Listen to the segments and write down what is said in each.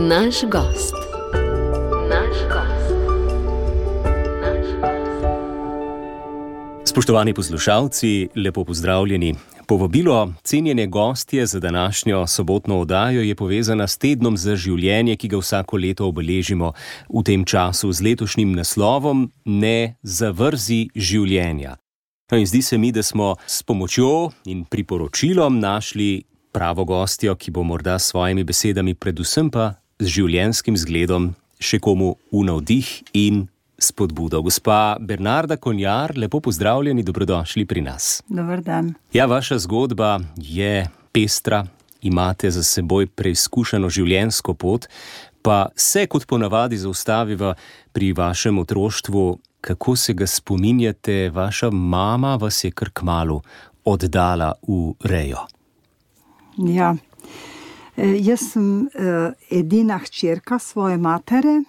Naš gost. Spoštovani poslušalci, lepo pozdravljeni. Povabilo cenjene gostje za današnjo sobotno oddajo je povezana s tednom za življenje, ki ga vsako leto obeležimo v tem času z letošnjim naslovom Ne zavrzi življenja. In zdi se mi, da smo s pomočjo in priporočilom našli pravo gostjo, ki bo morda s svojimi besedami, predvsem pa z življenjskim zgledom, še komu v navdih in spodbudo. Gospa Bernarda Konjar, lepo pozdravljeni, dobrodošli pri nas. Dober dan. Ja, vaša zgodba je pestra, imate za seboj preizkušeno življenjsko pot, pa se kot ponavadi zaustaviva pri vašem otroštvu. Kako se ga spominjate? Vaša mama vas je kar kmalu oddala v rejo. Ja, jaz sem edina hčerka svoje matere.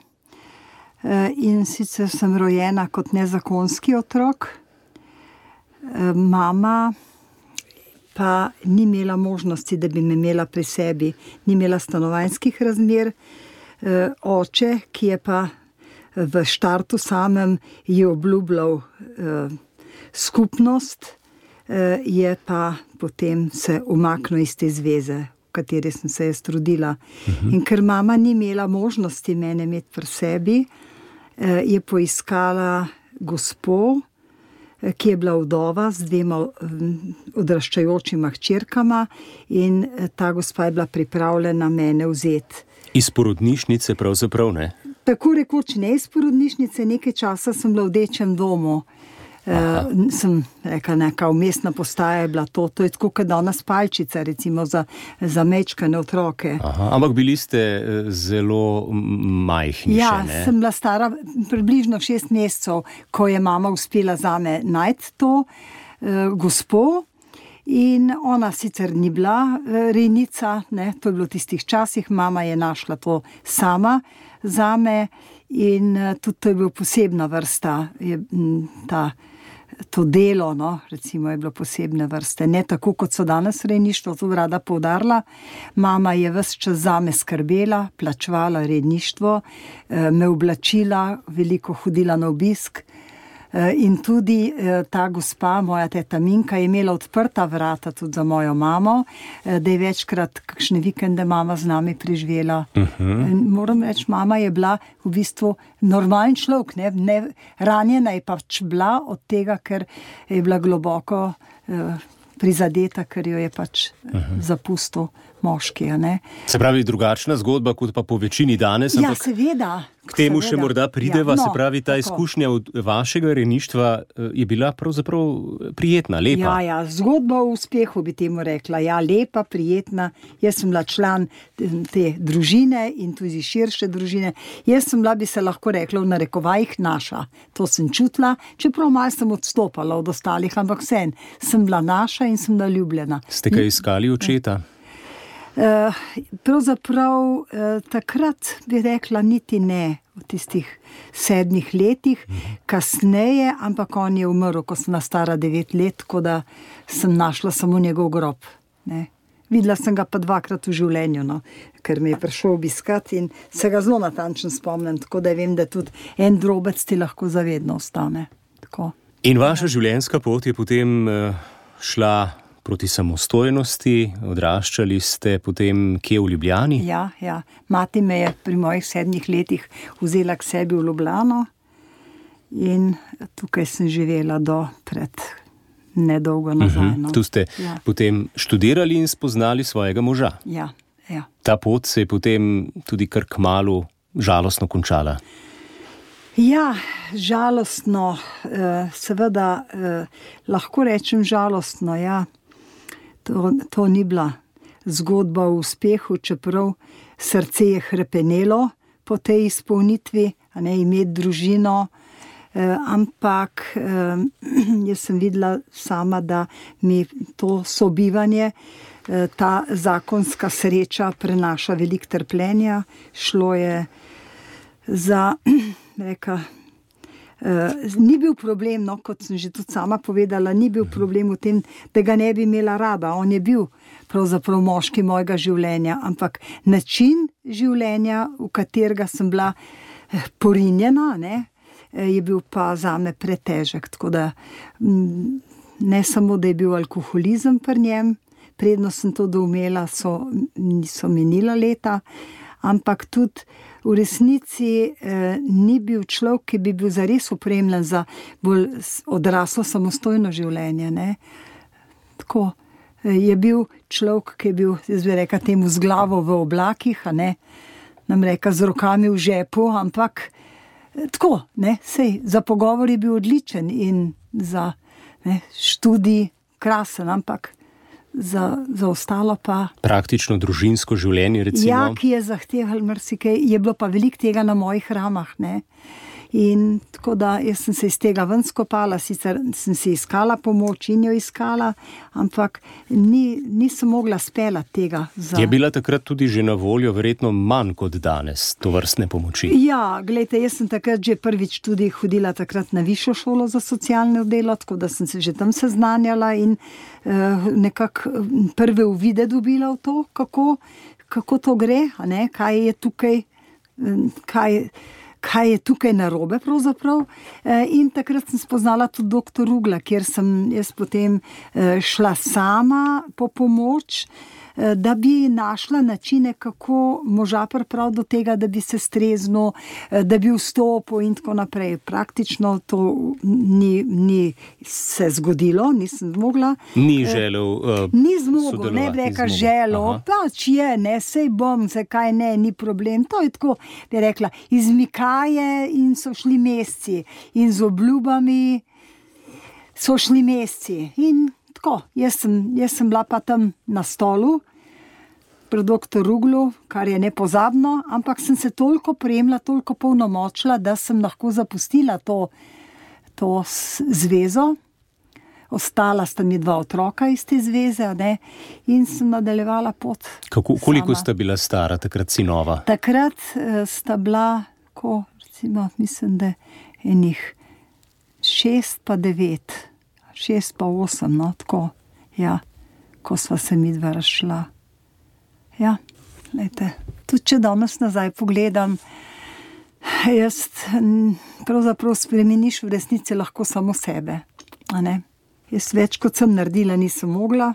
In sicer sem rojena kot nezakonski otrok. Mama pa ni imela možnosti, da bi me imela pri sebi. Ni imela stanovanjskih razmer. Oče, ki je pa v štartu samem je obljubljal skupnost, je pa potem se umaknil iz te zveze, v kateri sem se jaz trudila. In ker mama ni imela možnosti mene imeti pri sebi, je poiskala gospo, ki je bila vdova z 2 odraščajočima hčerkama, in ta gospa je bila pripravljena mene vzeti. Iz porodnišnice pravzaprav, ne? Tako rekoč ne iz porodnišnice, nekaj časa sem bila v dečjem domu. Sem rekla, neka vmesna postaja je bila to je tako, kot danes palčica, recimo za mečkane otroke. Ampak bili ste zelo majhni še, ne? Ja, sem bila stara približno 6 mesecev, ko je mama uspela zame najti to gospo, in ona sicer ni bila rejnica, ne, to je bilo v tistih časih, mama je našla to sama zame, in tudi to je bila posebna vrsta, to delo, no, recimo je bilo posebne vrste. Ne tako, kot so danes rejništvo, to rada poudarila. Mama je ves čas zame skrbela, plačevala rejništvo, me oblačila, veliko hodila na obisk. In tudi ta gospa, moja teta Minka, je imela odprta vrata tudi za mojo mamo, da je večkrat kakšne vikende mama z nami preživela. Moram reči, mama je bila v bistvu normalen človek, ne, ranjena je pač bila od tega, ker je bila globoko prizadeta, ker jo je pač zapustil moški, ne. Se pravi, drugačna zgodba kot pa po večini danes, Ja, ampak seveda. k temu še morda prideva, Ja, se pravi, ta tako. izkušnja od vašega rejništva je bila pravzaprav prijetna, lepa. Ja, zgodba o uspehu bi temu rekla. Ja, lepa, prijetna. Jaz sem bila član te družine in tudi širše družine. Jaz sem bila, bi se lahko rekla, v narekovajih naša. To sem čutila, čeprav malo sem odstopala od ostalih, ampak vseeno sem bila naša in sem bila ljubljena. Ste kaj iskali očeta? Pravzaprav takrat bi rekla niti ne, v tistih 7 letih, kasneje, ampak on je umrl, ko sem bila stara 9 let, tako da sem našla samo njegov grob, ne. Videla sem ga pa 2-krat v življenju, no, ker me je prišel obiskat in se ga zelo natančno spomnim, tako da vem, da tudi en drobec ti lahko zavedno ostane. Tako. In vaša življenjska pot je potem šla proti samostojnosti, odraščali ste potem kje v Ljubljani? Ja. Mati me je pri mojih 7 letih vzela k sebi v Ljubljano in tukaj sem živela do pred nedolgo nazaj. No. Tu ste potem študirali in spoznali svojega moža. Ja. Ta pot se je potem tudi kar kmalu žalostno končala. Ja, žalostno, seveda lahko rečem žalostno, ja. To ni bila zgodba o uspehu, čeprav srce je hrepenelo po tej izpolnitvi, a ne, imeti družino, ampak jaz sem videla sama, da mi to sobivanje, ta zakonska sreča prenaša veliko trpljenja. Šlo je za Ni bil problem, no, kot sem že tudi sama povedala, ni bil problem v tem, da ga ne bi imela rada. On je bil pravzaprav moški mojega življenja, ampak način življenja, v katerega sem bila porinjena, ne, je bil pa zame pretežek. Tako da ne samo, da je bil alkoholizem pri njem, predno sem to doumela, niso minila leta, ampak tudi v resnici ni bil človek, ki bi bil zares opremljen za bolj odraslo samostojno življenje. Ne. Tako je bil človek, ki je bil, jaz bi rekla temu, z glavo v oblakih, a ne, nam reka z rokami v žepu, ampak tako, ne, sej, za pogovor je bil odličen in za študij krasen, ampak za ostalo pa... Praktično družinsko življenje, recimo. Ja, ki je zahteval marsikaj, je bilo pa veliko tega na mojih ramah, ne. In tako da jaz sem se iz tega ven skopala, sicer sem si iskala pomoč in jo iskala, ampak nisem mogla speljati tega. Je bila takrat tudi že na voljo verjetno manj kot danes tovrstne pomoči? Ja, glejte, jaz sem takrat že prvič tudi hodila takrat na višjo šolo za socialno delo, tako da sem se že tam seznanjala in nekako prve uvide dobila v to, kako to gre, a ne, kaj je tukaj narobe pravzaprav. In takrat sem spoznala tudi doktor Rugla, kjer sem jaz potem šla sama po pomoč, da bi našla načine, kako moža pripraviti do tega, da bi se streznil, da bi vstopil in tako naprej. Praktično to ni se zgodilo, nisem zmogla. Ni želel ni zmogel, ne bi rekla želel, pač je, ne, sej bom, zakaj ne, ni problem. To je tako, bi rekla, izmikaje in so šli meseci in z obljubami so šli meseci in tako, jaz sem bila pa tam na stolu pri doktor Ruglu, kar je nepozabno, ampak sem se toliko prejemla, toliko polnomočila, da sem lahko zapustila to zvezo. Ostala sta mi 2 otroka iz te zveze, ne, in sem nadaljevala pot. Koliko sta bila stara takrat sinova? Takrat sta bila, recimo, mislim, da enih 6 pa 9. 6 pa 8, no, tako, ja, ko sva se midva razšla. Ja, glejte, tudi če danes nazaj pogledam, jaz pravzaprav spremeniš v resnici lahko samo sebe, a ne. Jaz več, kot sem naredila, nisem mogla,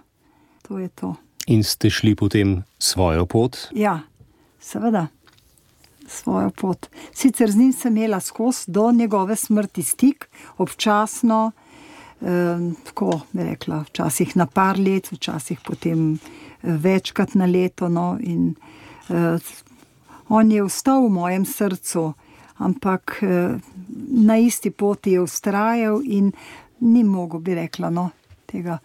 to je to. In ste šli potem svojo pot? Ja, seveda, svojo pot. Sicer z njim sem imela skozi do njegove smrti stik, občasno, tako bi rekla, včasih na par let, včasih potem večkrat na leto, no, in on je ostal v mojem srcu, ampak na isti poti je vztrajal in ni mogel, bi rekla, no, tega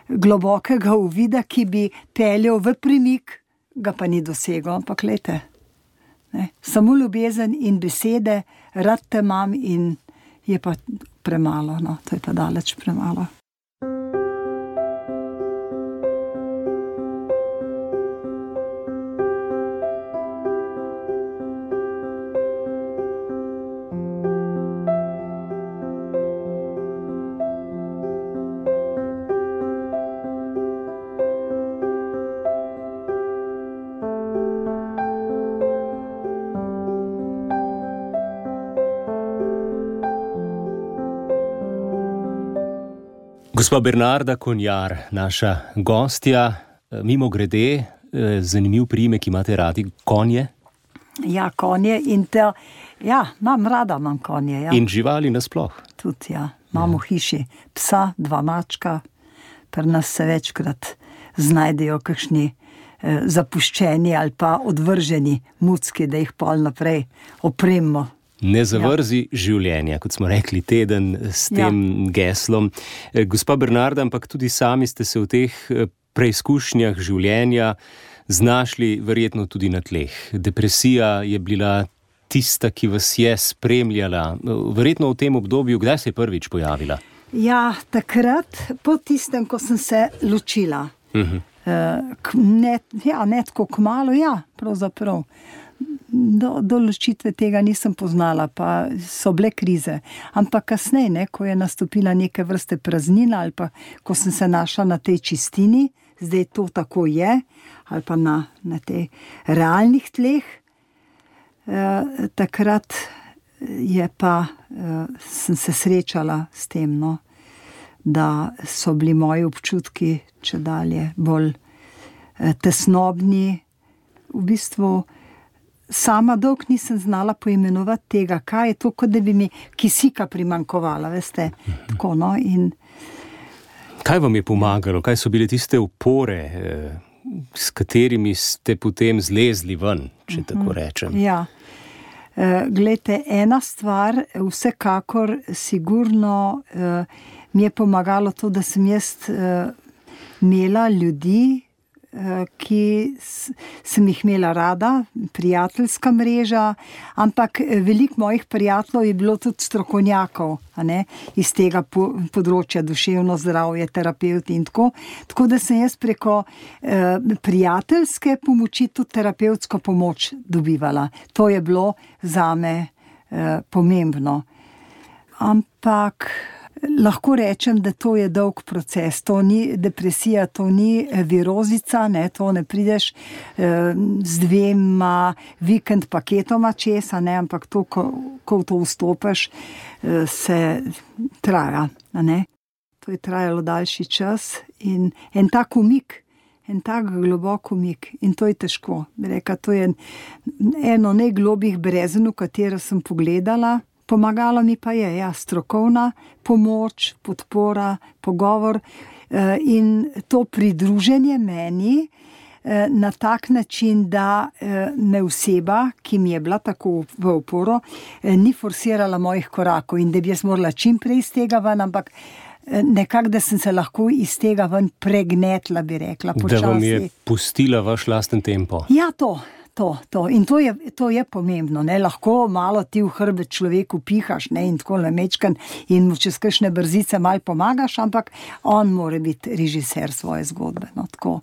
globokega uvida, ki bi peljal v premik, ga pa ni dosegel, ampak glejte, ne, samo ljubezen in besede, rad te imam in je pa premalo, no, to je pa daleč premalo. Gospa Bernarda Konjar, naša gostja, mimogrede, zanimiv priimek, imate radi konje? Ja, konje in imam konje. Ja. In živali nasploh? Tudi, ja. Imamo v hiši psa, 2 mačka, pri nas se večkrat znajdejo kakšni zapuščeni ali pa odvrženi mucki, da jih pol naprej opremimo. Ne zavrzi življenja, kot smo rekli teden s tem geslom. Gospa Bernarda, ampak tudi sami ste se v teh preizkušnjah življenja znašli verjetno tudi na tleh. Depresija je bila tista, ki vas je spremljala. Verjetno v tem obdobju, kdaj se je prvič pojavila? Ja, takrat, po tistem, ko sem se ločila. Ne tako kmalu, ja, pravzaprav. do ločitve tega nisem poznala, pa so bile krize. Ampak kasneje, ko je nastopila neke vrste praznina ali pa ko sem se našla na tej čistini, zdaj to tako je, ali pa na tej realnih tleh, takrat je pa sem se srečala s tem, no, da so bili moji občutki čedalje bolj tesnobni. V bistvu sama dolgo nisem znala poimenovati tega, kaj je to, kot da bi mi kisika primanjkovala, veste. Tako, no, in kaj vam je pomagalo? Kaj so bile tiste opore, s katerimi ste potem zlezli ven, če tako rečem? Ja. Glejte, ena stvar, vsekakor sigurno mi je pomagalo to, da sem jaz imela ljudi, ki sem jih imela rada, prijateljska mreža, ampak veliko mojih prijateljev je bilo tudi strokovnjakov, iz tega področja, duševno zdravje, terapevti in tako. Tako da sem jaz preko prijateljske pomoči tudi terapevtsko pomoč dobivala. To je bilo zame pomembno. Ampak lahko rečem, da to je dolg proces. To ni depresija, to ni virozica, to ne prideš z 2 vikend paketoma česa, ampak to, ko v to vstopiš, se traja. To je trajalo daljši čas in en tak umik, en tak globok umik in to je težko. Reka, to je eno najglobjih brezen, v katero sem pogledala. Pomagalo mi pa je strokovna pomoč, podpora, pogovor in to pridruženje meni na tak način, da me oseba, ki mi je bila tako v oporo, ni forsirala mojih korakov in da bi jaz morala čim prej iz tega ven, ampak nekako, da sem se lahko iz tega ven pregnetla, bi rekla, počasi. Da vam je pustila vaš lasten tempo. Ja, to. In to je pomembno, lahko malo ti v hrbet človeku pihaš, in tako namečkan in mu čez kakšne brzice malo pomagaš, ampak on mora biti režiser svoje zgodbe, tako.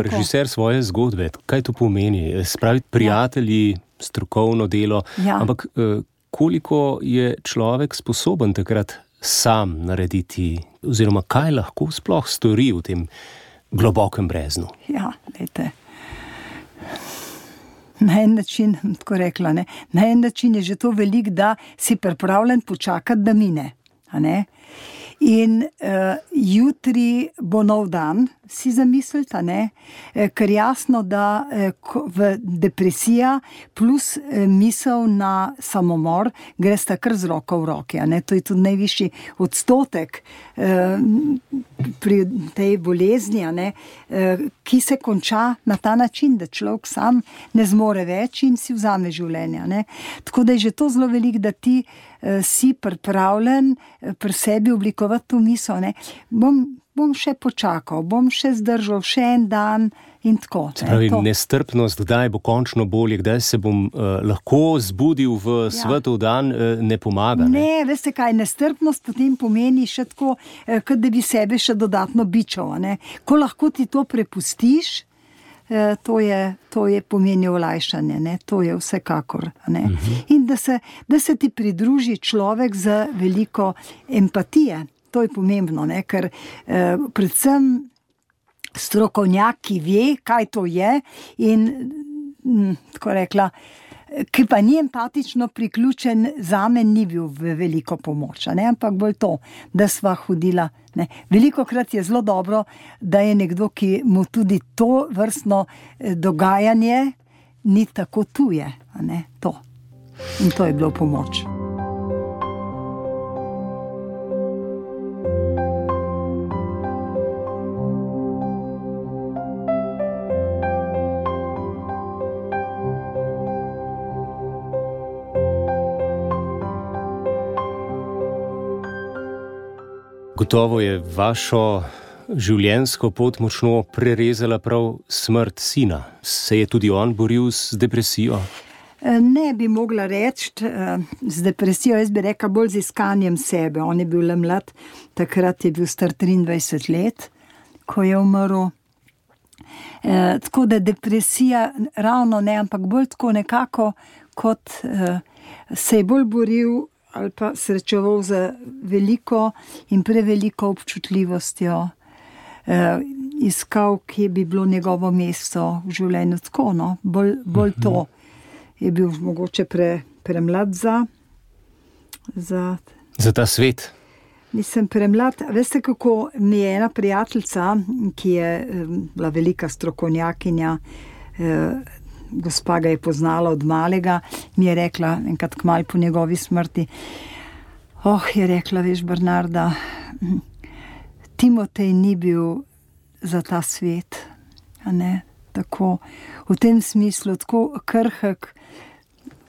Režiser svoje zgodbe, kaj to pomeni? Spraviti prijatelji, strokovno delo, ampak koliko je človek sposoben takrat sam narediti, oziroma kaj lahko sploh stori v tem globokem breznu? Ja, dajte. Na en način, tako rekla, na en način je že to veliko, da si pripravljen počakati, da mine. In jutri bo nov dan, si zamislite, ker jasno, da v depresija plus misel na samomor gresta kar z roko v roki. To je tudi najvišji odstotek pri tej bolezni, ki se konča na ta način, da človek sam ne zmore več in si vzame življenje. Tako da je že to zelo veliko, da ti si pripravljen pri sebi oblikovati to misel. Bom še počakal, bom še zdržal še en dan in tako. Se pravi, nestrpnost, kdaj bo končno bolje, kdaj se bom lahko zbudil v svetov dan, ne pomaga. Ne, veste kaj, nestrpnost potem pomeni še tako, kot da bi sebe še dodatno bičal. Ko lahko ti to prepustiš, to je pomeni olajšanje, to je vsekakor. In da se ti pridruži človek z veliko empatije. To je pomembno, ker predvsem strokovnjak, ki ve, kaj to je in, tako rekla, ki pa ni empatično priključen, zame ni bil v veliko pomoč, ampak bolj to, da sva hodila. Velikokrat je zelo dobro, da je nekdo, ki mu tudi to vrstno dogajanje ni tako tuje. To. In to je bilo pomoč. Gotovo je vašo življenjsko pot močno prerezala prav smrt sina. Se je tudi on boril z depresijo? Ne bi mogla reči z depresijo, jaz bi rekla bolj z iskanjem sebe. On je bil le mlad, takrat je bil star 23 let, ko je umrl. Tako da depresija ravno ne, ampak bolj tako nekako, kot se je bolj boril ali pa srečeval z veliko in preveliko občutljivostjo, iskal, kje bi bilo njegovo mesto v življenju. Tako, no, bolj to. Je bil mogoče premlad za ta svet. Nisem premlad. Veste, kako mi je ena prijateljica, ki je bila velika strokovnjakinja, gospa ga je poznala od malega, mi je rekla, enkrat kmalu po njegovi smrti, je rekla, veš, Bernarda, Timotej ni bil za ta svet, a ne, tako, v tem smislu, tako krhek,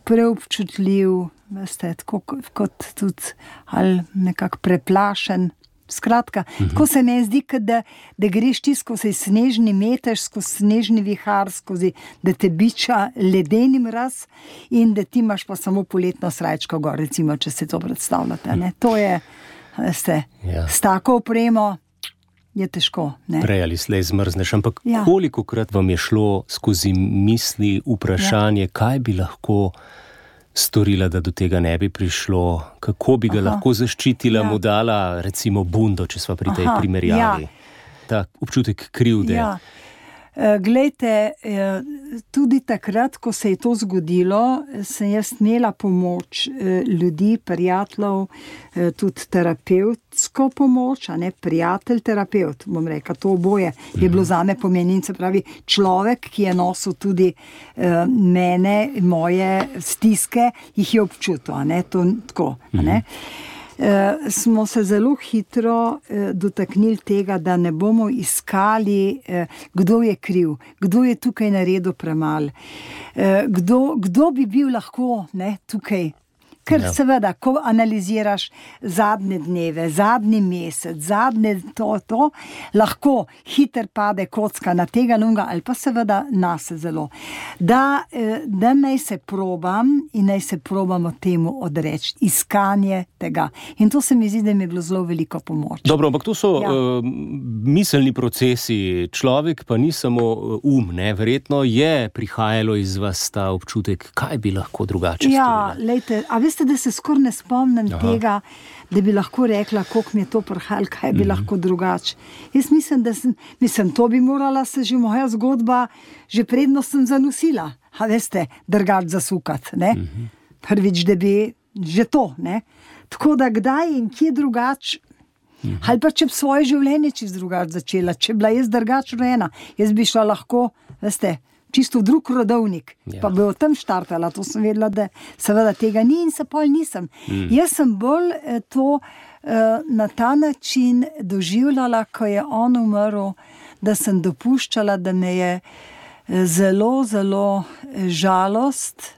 preobčutljiv, veste, tako kot tudi, ali nekako preplašen. Skratka, tako se mi zdi, da greš ti skozi snežni metež, skozi snežni vihar, da te biča ledeni mraz in da ti imaš pa samo poletno srajčko gor, recimo, če se to predstavljate. Ne? To je, veste, s tako opremo je težko. Ne? Prej ali slej zmrzneš, ampak kolikokrat vam je šlo skozi misli vprašanje, kaj bi lahko storila, da do tega ne bi prišlo, kako bi ga lahko zaščitila, mu dala recimo bundo, če sva pri tej primerjavi. Ta občutek krivde. Glejte, tudi takrat, ko se je to zgodilo, sem jaz imela pomoč ljudi, prijateljev, tudi terapevtsko pomoč, a ne prijatelj, terapeut, bom rekla, to oboje je bilo zame pomenin, se pravi človek, ki je nosil tudi mene, moje stiske, jih je občutil, a ne, to tako, a ne. Smo se zelo hitro dotaknili tega, da ne bomo iskali, kdo je kriv, kdo je tukaj naredil premalo, kdo bi bil lahko, ne, tukaj. Ker seveda, ko analiziraš zadnje dneve, zadnji mesec, zadnje to, lahko hiter pade kocka na tega nunga ali pa seveda nase zelo. Da naj se probam in naj se probamo temu odreči, iskanje tega. In to se mi zdi, da mi je bilo zelo veliko pomoč. Dobro, ampak to so miselni procesi. Človek pa ni samo ne? Verjetno je prihajalo iz vas ta občutek, kaj bi lahko drugače storila. Lejte, a veste, da se skoraj ne spomnim tega, da bi lahko rekla, koliko mi je to prihajalo, kaj bi lahko drugače. Jaz mislim, to bi morala se že moja zgodba, že predno sem zanosila, a veste, drugače zasukati, ne. Prvič, da bi že to, ne. Tako da kdaj in kje drugače, ali pa če bi svoje življenje čisto drugače začela, če bila jaz drugače rojena, jaz bi šla lahko, veste, čisto v drug rodovnik, pa bi o tem štartala, to sem vedela, da seveda tega ni in se pol nisem. Jaz sem bolj to na ta način doživljala, ko je on umrl, da sem dopuščala, da me je zelo, zelo žalost,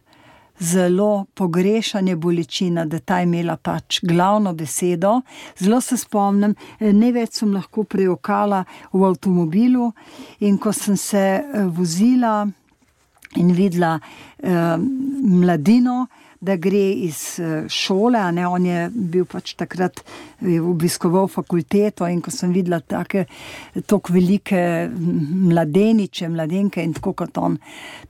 zelo pogrešanje, bolečina, da ta je imela pač glavno besedo. Zelo se spomnim, največ sem lahko prejokala v avtomobilu in ko sem se vozila in videla mladino, da gre iz šole, a ne, on je bil pač takrat, je obiskoval fakulteto in ko sem videla tako velike mladeniče, mladenke in tako kot on,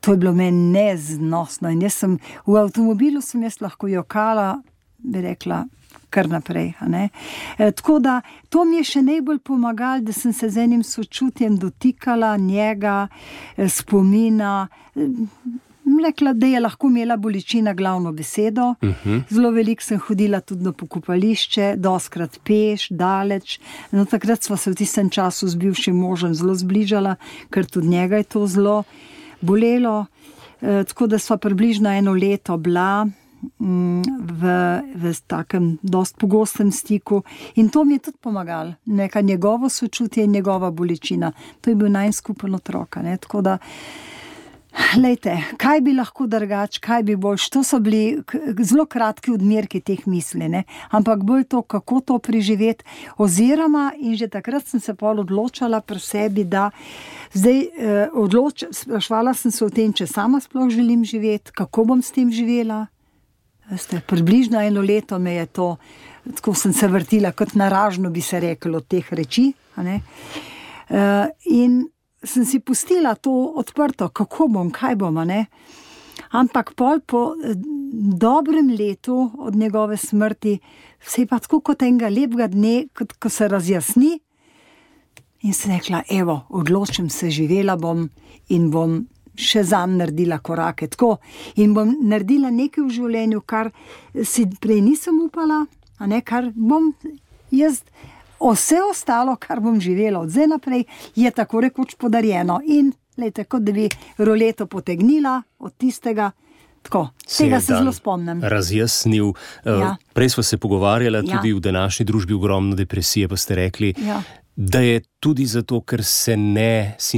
to je bilo meni neznosno in v avtomobilu sem jaz lahko jokala, bi rekla, kar naprej, a ne. Tako da, to mi je še najbolj pomagalo, da sem se z enim sočutjem dotikala njega, spomina, rekla, da je lahko imela bolečina glavno besedo. Zelo veliko sem hodila tudi na pokopališče, dostkrat peš, daleč. No, takrat sva se v tistem času z bivšim možem zelo zbližala, ker tudi njega je to zelo bolelo. Tako da sva približno 1 leto bila v takem dost pogostem stiku in to mi je tudi pomagalo. Neka njegovo sočutje in njegova bolečina. To je bil najin skupen otrok, ne, tako da lejte, kaj bi lahko drugače, kaj bi boljš, to so bili zelo kratki odmerki teh misli, ne? Ampak bolj to, kako to preživeti, oziroma in že takrat sem se pol odločala pri sebi, da zdaj sprašvala sem se o tem, če sama sploh želim živeti, kako bom s tem živela. Veste, približno 1 leto me je to, tako sem se vrtila, kot naražno bi se reklo od teh reči, a ne? In sem si pustila to odprto, kako bom, kaj bom, ne. Ampak pol po dobrem letu od njegove smrti, se je pa tako kot enega lepega dne, ko se razjasni, in sem rekla, evo, odločim se, živela bom in bom še zanj naredila korake, tako, in bom naredila nekaj v življenju, kar si prej nisem upala, a ne, kar bom jaz, vse ostalo, kar bom živela od zdaj naprej, je tako rekoč podarjeno in, glejte, kot da bi roleto potegnila od tistega, tako, tega se zelo spomnim. Razjasnil. Prej smo se pogovarjali tudi v današnji družbi ogromno depresije, pa ste rekli, da je tudi zato, ker si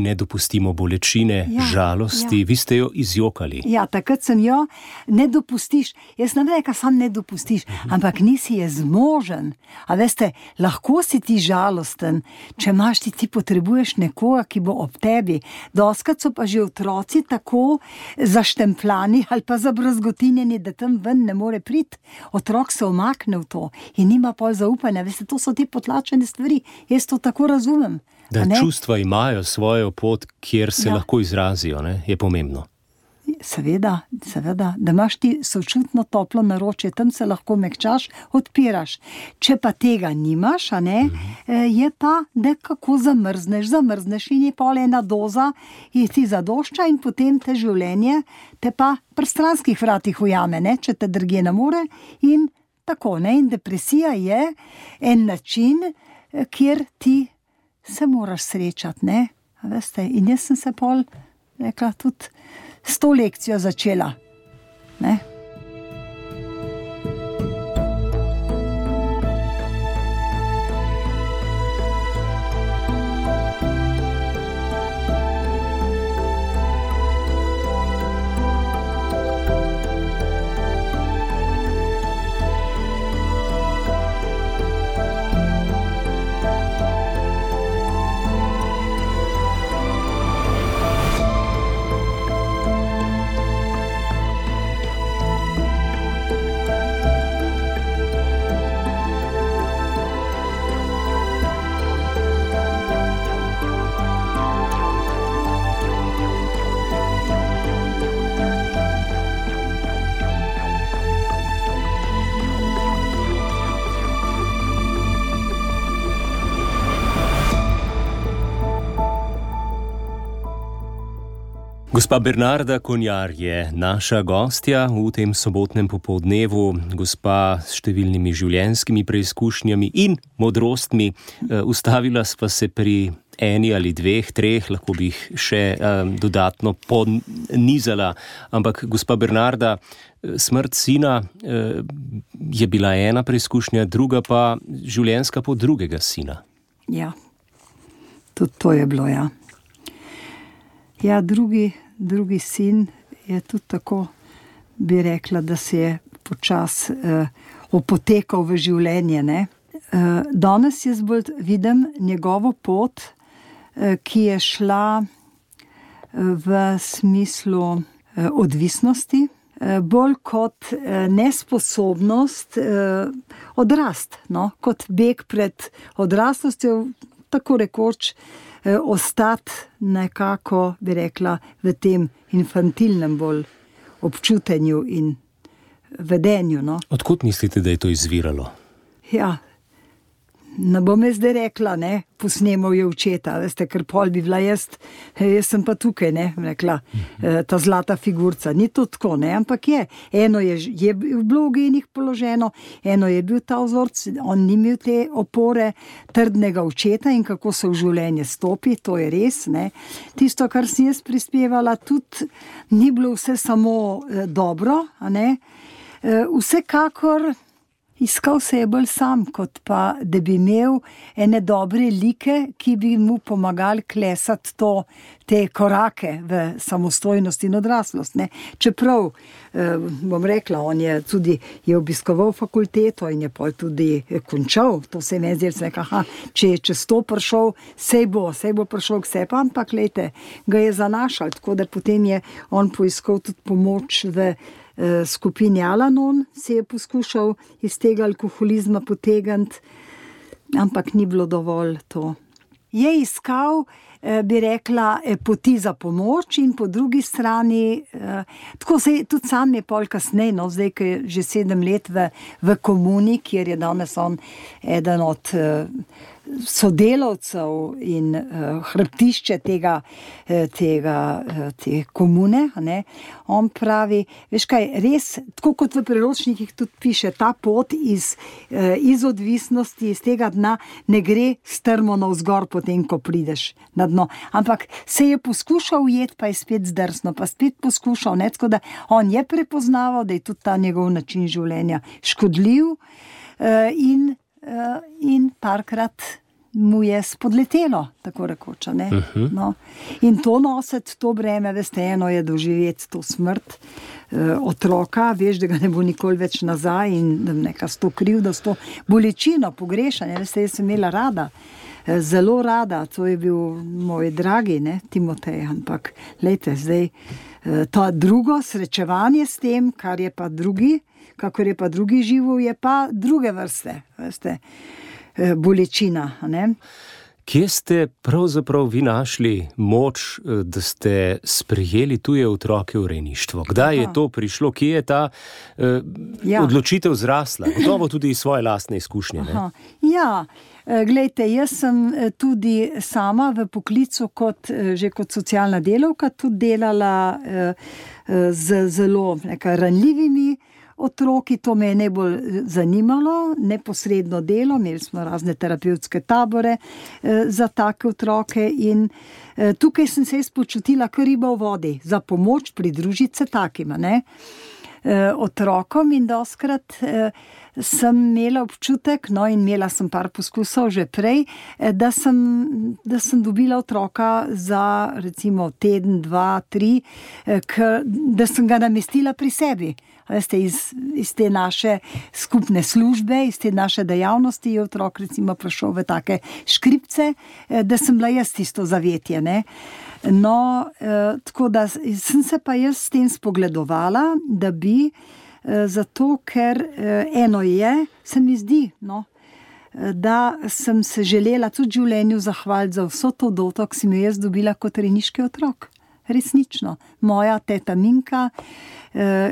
ne dopustimo bolečine, žalosti. Vi ste jo izjokali. Ja, takrat sem jo, ne dopustiš. Jaz ne rekla, sam ne dopustiš, ampak nisi je zmožen. A veste, lahko si ti žalosten, če imaš ti potrebuješ nekoga, ki bo ob tebi. Doskrat so pa že otroci tako zaštempljani ali pa zabrazgotinjeni, da tam ven ne more priti. Otrok se umakne v to in nima pol zaupanja. Veste, to so te potlačene stvari. Jaz to tako razumem. Da čustva imajo svojo pot, kjer se lahko izrazijo, ne? Je pomembno. Seveda, da imaš ti sočutno toplo naročje, tam se lahko mehčaš, odpiraš. Če pa tega nimaš, a ne, je pa nekako zamrzneš in je pol ena doza, in ti zadošča in potem te življenje te pa pri stranskih vratih ujame, ne, če te drugje ne more in tako, ne, in depresija je en način, kjer ti se moraš srečati, ne, a veste, in jaz sem se pol rekla tudi s to lekcijo začela, ne. Gospa Bernarda Konjar je naša gostja v tem sobotnem popoldnevu, gospa s številnimi življenjskimi preizkušnjami in modrostmi. Ustavila sva se pri eni ali dveh, treh, lahko bi jih še dodatno ponizala, ampak gospa Bernarda, smrt sina je bila ena preizkušnja, druga pa življenjska pot drugega sina. Ja, tudi to je bilo, ja. Ja, drugi sin je tudi tako, bi rekla, da se je počas opotekal v življenje, ne. Danes jaz bolj vidim njegovo pot, ki je šla v smislu odvisnosti, bolj kot nesposobnost odrast, no, kot beg pred odraslostjo, tako rekoč, ostati nekako, bi rekla, v tem infantilnem bolj občutenju in vedenju, no. Odkot mislite, da je to izviralo? Ja, ne bom jaz zdaj rekla, ne, posnemal je očeta, veste, ker pol bi bila jaz sem pa tukaj, ne, rekla, ta zlata figurca, ni to tako, ne, ampak eno je bilo v genih položeno, eno je bil ta vzorc, on ni imel te opore trdnega očeta in kako se v življenje stopi, to je res, ne. Tisto, kar sem jaz prispevala, tudi ni bilo vse samo dobro, a ne, vsekakor iskal se je bolj sam, kot pa, da bi imel ene dobre like, ki bi mu pomagali klesati te korake v samostojnost in odraslost, ne. Čeprav, bom rekla, on je tudi obiskoval fakulteto in je pol tudi končal, to se mi je zdelo, sem rekla, če je čez to prišel, sej bo prišel k sebi, ampak glejte, ga je zanašal, tako da potem je on poiskal tudi pomoč v skupini Al-Anon, se je poskušal iz tega alkoholizma potegniti, ampak ni bilo dovolj to. Je iskal bi rekla, poti za pomoč in po drugi strani, tako se tudi sam je pol kasneje, no, zdaj, ki je že 7 let v komuni, kjer je danes on eden od sodelavcev in hrbtišče te komune, ne. On pravi, veš kaj, res, tako kot v priročnikih tudi piše, ta pot iz odvisnosti, iz tega dna ne gre strmo navzgor potem, ko prideš na dno. Ampak se je poskušal ujeti, pa je spet zdrsno, pa spet poskušal, ne, tako da on je prepoznaval, da je tudi ta njegov način življenja škodljiv in parkrat mu je spodletelo, tako rekoč, ne. No. In to nositi, to breme, veste, eno je doživeti to smrt otroka, veš, da ga ne bo nikoli več nazaj in da neka s to krivdo, s to bolečino pogrešanja, veste, jaz sem imela rada, zelo rada, to je bil moj dragi, ne, Timotej, ampak lejte, zdaj to drugo srečevanje s tem, kakor je pa drugi živel, je pa druge vrste, veste, bolečina, ne. Kje ste pravzaprav vi našli moč, da ste sprejeli tuje otroke v rejništvo? Kdaj je to prišlo? Kje je ta odločitev zrasla? Gotovo tudi iz svoje lastne izkušnje, ne? Ja, glejte, jaz sem tudi sama v poklicu kot socialna delavka tudi delala z zelo ranljivimi otroki, to me je najbolj zanimalo, neposredno delo, imeli smo razne terapevtske tabore za take otroke in tukaj sem se počutila kot riba v vodi, za pomoč pridružiti se takima, ne, otrokom in dostikrat sem imela občutek, no, in imela sem par poskusov že prej, da sem dobila otroka za recimo teden, 2, 3, da sem ga namestila pri sebi. Veste, iz te naše skupne službe, iz te naše dejavnosti je otrok recimo prišel v take škripce, da sem bila jaz tisto zavetje, ne. No, tako da sem se pa jaz s tem spogledovala, da bi, zato ker eno je, se mi zdi, no, da sem se želela tudi v življenju zahvaliti za vso to doto, ki sem jo jaz dobila kot rejniški otrok. Resnično. Moja teta Minka,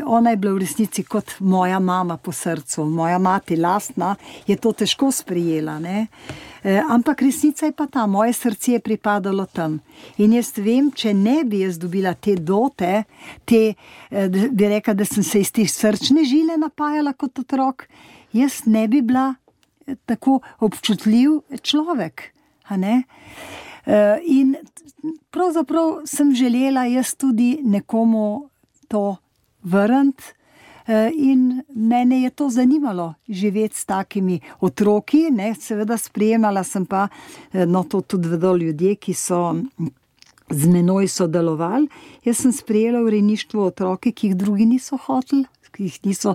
ona je bila v resnici kot moja mama po srcu. Moja mati lastna je to težko sprejela, ne. Ampak resnica je pa ta, moje srce je pripadalo tam. In jaz vem, če ne bi jaz dobila te dote, bi rekla, da sem se iz te srčne žile napajala kot otrok, jaz ne bi bila tako občutljiv človek, a ne. In pravzaprav sem želela jaz tudi nekomu to vrniti in mene je to zanimalo, živeti s takimi otroki, ne, seveda sprejemala sem pa, no, to tudi vedo ljudje, ki so z menoj sodelovali, jaz sem sprejela v rejništvu otroke, ki jih drugi niso hoteli, ki jih so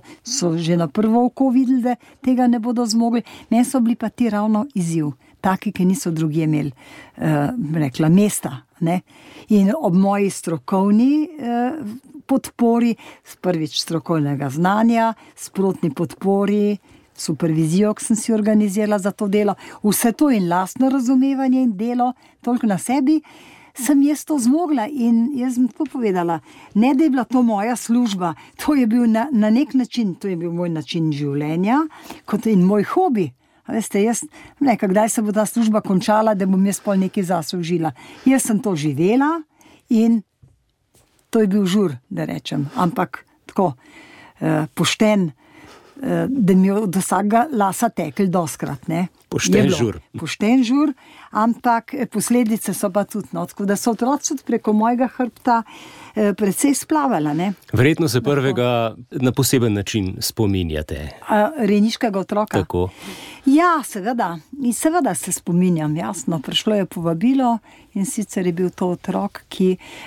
že na prvo oko videli, da tega ne bodo zmogli, meni so bili pa ti ravno izziv. Taki, ki niso drugi imeli, rekla, mesta, ne. In ob moji strokovni podpori, prvič strokovnega znanja, sprotni podpori, supervizijo, ki sem si organizirala za to delo, vse to in lastno razumevanje in delo, toliko na sebi, sem jaz to zmogla in jaz sem tako povedala, ne da je bila to moja služba, to je bil na nek način, to je bil moj način življenja, kot in moj hobi. Veste, jaz nekaj, kdaj se bo ta služba končala, da bom jaz pol nekaj zase užila. Jaz sem to živela in to je bil žur, da rečem, ampak tako pošten, da mi je od vsakega lasa tekel doskrat, ne. Pošten žur, ampak posledice so pa tudi, no, tako da so otroci preko mojega hrbta precej splavala, ne. Verjetno se prvega na poseben način spominjate. Rejniškega otroka? Tako. Ja, seveda. In seveda se spominjam, jasno. Prišlo je povabilo in sicer je bil to otrok,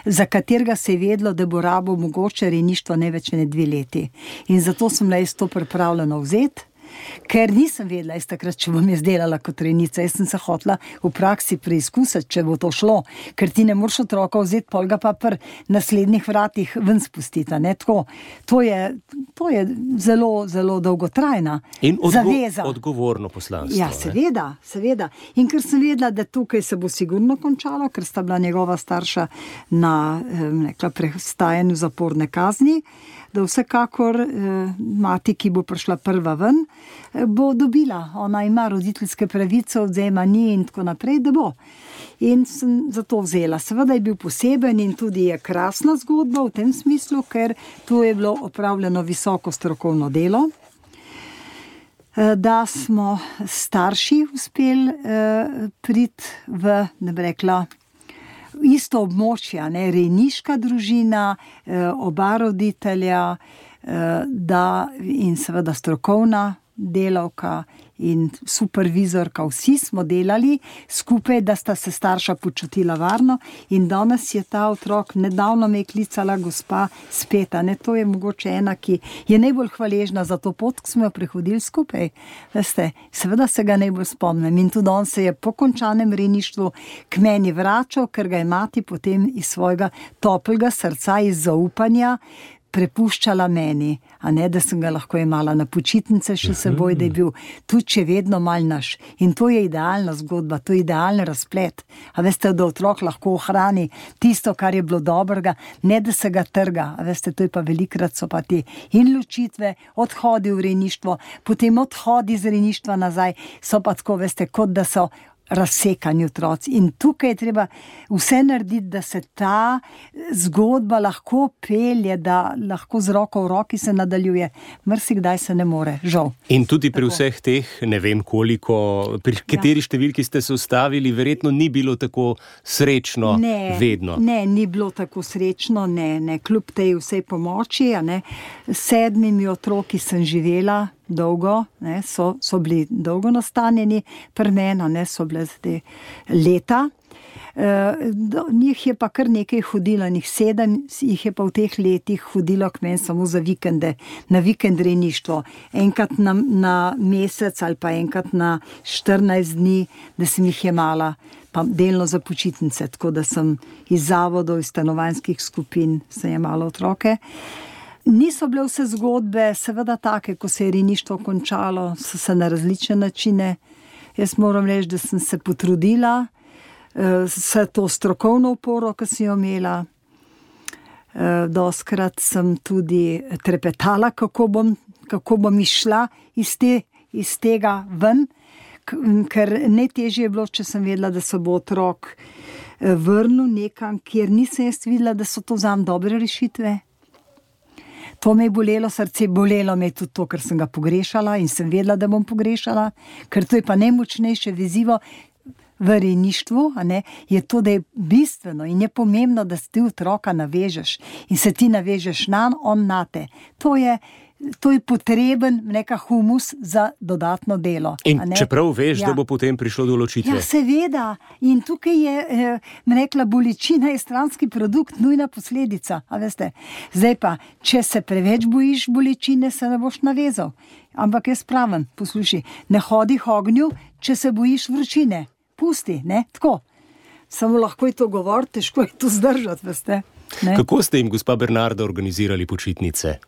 za katerega se je vedlo, da bo rabo mogoče rejništvo ne več ne 2 leti. In zato sem bila jaz to pripravljena vzeti. ker nisem vedela, takrat, če bom jaz delala kot rejnica. Jaz sem se hotela v praksi preizkusiti, če bo to šlo, ker ti ne moreš otroka vzeti, pol ga pa pri naslednjih vratih ven spustiti, ne, tako. To je zelo, zelo dolgotrajna zaveza. In odgovorno poslanstvo. Ja, seveda. In ker sem vedela, da tukaj se bo sigurno končalo, ker sta bila njegova starša na prestajanju zaporne kazni, da vsekakor mati, ki bo prišla prva ven, bo dobila. Ona ima roditeljske pravice, odvzema ni in tako naprej, da bo. In sem zato vzela. Seveda je bil poseben in tudi je krasna zgodba v tem smislu, ker tu je bilo opravljeno visoko strokovno delo, da smo starši uspeli priti v, ne bi rekla, isto območje, ne, rejniška družina, oba roditelja, in seveda strokovna delavka in supervizorka, vsi smo delali skupaj, da sta se starša počutila varno in danes je ta otrok, nedavno me je klicala gospa spet, ne, to je mogoče ena, ki je najbolj hvaležna za to pot, ki smo jo prehodili skupaj. Veste, seveda se ga najbolj spomnim in tudi on se je po končanem rejništvu k meni vračal, ker ga je mati potem iz svojega toplega srca, iz zaupanja prepuščala meni, a ne, da sem ga lahko imala na počitnice še seboj, da je bil tudi še vedno mal naš. In to je idealna zgodba, to je idealen razplet. A veste, da otrok lahko ohrani tisto, kar je bilo dobrega, ne da se ga trga. A veste, to je pa velikrat so pa ti in ločitve, odhodi v rejništvo, potem odhodi iz rejništva nazaj, so pa tako, veste, kot da so razsekani otroci. In tukaj je treba vse narediti, da se ta zgodba lahko pelje, da lahko z roko v roki se nadaljuje. Marsikdaj se ne more, žal. In tudi pri vseh teh, ne vem koliko, pri kateri številki ste se ustavili, verjetno ni bilo tako srečno vedno. Ne, ni bilo tako srečno, ne, kljub tej vsej pomoči, ne. 7 otroki sem živela dolgo, ne, so bili dolgo nastanjeni pri meni, ne, so bile te leta. Njih je pa kar nekaj hodilo, njih 7 jih je pa v teh letih hodilo k meni samo za vikende, na vikend rejništvo. Enkrat na mesec ali pa enkrat na 14 dni, da sem jih jemala, pa delno za počitnice, tako da sem iz zavodov, iz stanovanjskih skupin sem jemala otroke. Niso bile vse zgodbe, seveda take, ko se je rejništvo končalo, so se na različne načine. Jaz moram reči, da sem se potrudila, vse to strokovno oporo, ki sem jo imela. Dostikrat sem tudi trepetala, kako bom išla iz tega ven, ker najtežje je bilo, če sem vedela, da se bo otrok vrnil nekam, kjer nisem jaz videla, da so to zame dobre rešitve. To me je bolelo srce, bolelo me je tudi to, ker sem ga pogrešala in sem vedela, da bom pogrešala, ker to je pa najmočnejše vezivo v rejništvu, a ne, je to, da je bistveno in je pomembno, da ti otroka navežeš in se ti navežeš nanj, on nate. To je potreben neka humus za dodatno delo. In čeprav veš, da bo potem prišlo do ločitve. Ja, seveda. In tukaj je, rekla, bolečina je stranski produkt, nujna posledica. A veste, zdaj pa, če se preveč bojiš bolečine, se ne boš navezal. Ampak jaz pravim, poslušaj, ne hodi k ognju, če se bojiš vročine. Pusti, ne, tako. Samo lahko je to govoriti, težko je to zdržati, veste. Ne? Kako ste jim, gospa Bernarda, organizirali počitnice?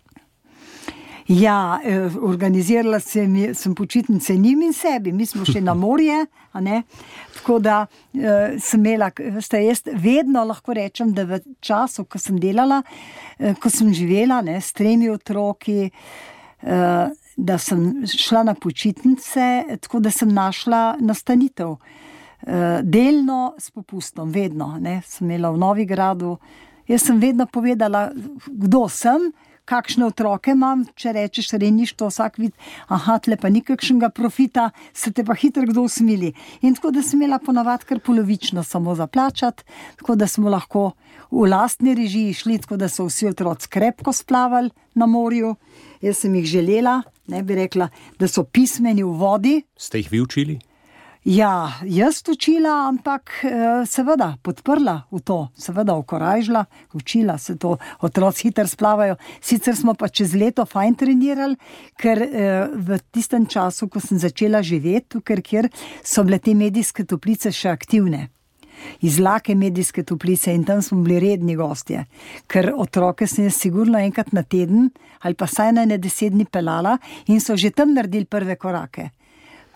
Ja, organizirala sem počitnice njim in sebi. Mi smo šli na morje, a ne? Tako da sem imela, veste, jaz vedno lahko rečem, da v času, ko sem delala, ko sem živela, ne, s 3 otroki, da sem šla na počitnice, tako da sem našla nastanitev. Delno s popustom, vedno, ne, sem imela v Novigradu. Jaz sem vedno povedala, kdo sem, kakšne otroke imam, če rečeš rejništvo, vsak vidi, aha, tle pa ni kakšnega profita, se te pa hitro kdo usmili. In tako da sem imela ponavadi kar polovično samo za plačati, tako da smo lahko v lastni režiji šli, tako da so vsi otroci krepko splavali na morju. Jaz sem jih želela, ne bi rekla, da so pismeni v vodi. Ste jih vi učili? Ja, jaz učila, ampak seveda podprla v to, seveda okorajžila, učila se to, otroci hitro splavajo. Sicer smo pa čez leto fajn trenirali, ker v tistem času, ko sem začela živeti tukaj, kjer so bile te medijske toplice še aktivne. Iz Lake medijske toplice in tam smo bili redni gostje, ker otroke sem jaz sigurno enkrat na teden ali pa saj na 10 dni pelala in so že tam naredili prve korake.